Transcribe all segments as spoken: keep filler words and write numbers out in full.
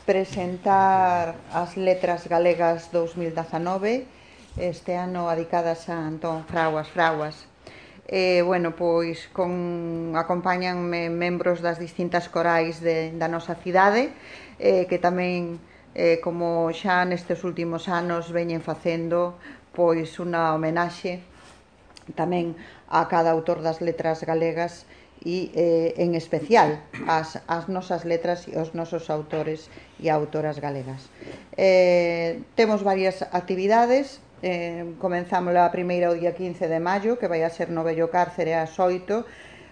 presentar as Letras Galegas dous mil dezanove, este ano adicadas a Antón Fraguas Fraguas. E, bueno, pois con, acompáñanme membros das distintas corais de, da nosa cidade, eh, que tamén, eh, como xa nestes últimos anos veñen facendo, pois unha homenaxe tamén a cada autor das letras galegas e, eh, en especial, as, as nosas letras e os nosos autores e autoras galegas. Eh, temos varias actividades. Eh, comenzamos a primeira o día quince de maio, que vai a ser no Vello Cárcere ás oito,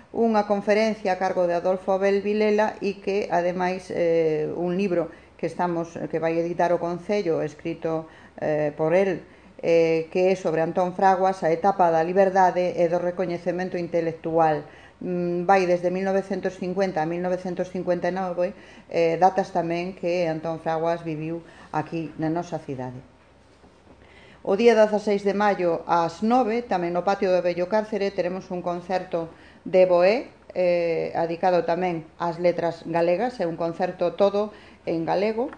unha conferencia a cargo de Adolfo Abel Vilela e que, ademais, eh, un libro que estamos que vai editar o Concello, escrito eh, por el, eh, que é sobre Antón Fraguas, a etapa da liberdade e do recoñecemento intelectual. Mm, vai desde mil novecentos cincuenta a mil novecentos cincuenta e nove, eh, datas tamén que Antón Fraguas viviu aquí na nosa cidade. O día dezaseis de maio ás nove, tamén no patio do Vello Cárcere, teremos un concerto de Boé, eh, dedicado tamén ás letras galegas, é un concerto todo en galego.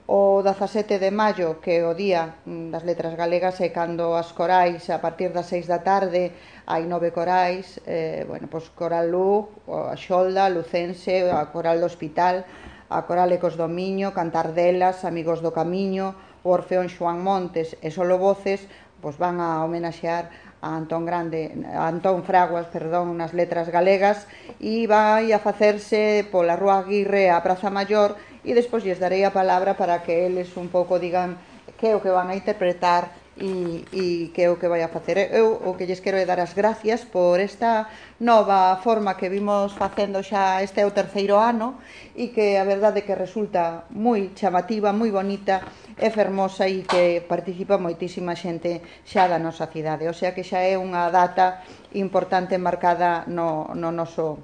O dezasete de maio, que é o día das letras galegas, é cando as corais, a partir das seis da tarde, hai nove corais, eh, bueno, pois Coral Luz, a Xolda, a Lucense, a Coral do Hospital, a Coral Ecos do Miño, Cantardelas, Amigos do Camiño, o Orfeón Xoán Montes e Solo Voces, pois van a homenaxear a Antón Grande, a Antón Fraguas, perdón, nas letras galegas, e vai a facerse pola Rúa Aguirre a Praza Maior, e despois lles darei a palabra para que eles un pouco digan que é o que van a interpretar e, e que é o que vai a facer. Eu o que lles quero é dar as gracias por esta nova forma que vimos facendo xa este é o terceiro ano e que a verdade que resulta moi chamativa, moi bonita e fermosa e que participa moitísima xente xa da nosa cidade. O sea que xa é unha data importante marcada no, no noso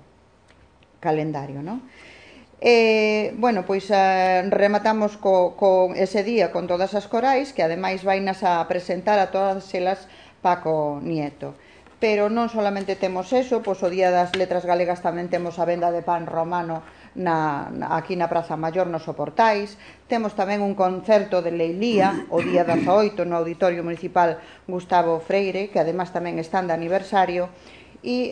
calendario, non? Eh, bueno, pois eh, rematamos co, co ese día con todas as corais, que ademais vainas a presentar a todas elas Paco Nieto. Pero non solamente temos eso, pois o día das letras galegas tamén temos a venda de pan romano na, na, aquí na Praza Maior nos Soportais. Temos tamén un concerto de Leilía o día dezaoito no Auditorio Municipal Gustavo Freire, que ademais tamén están de aniversario. E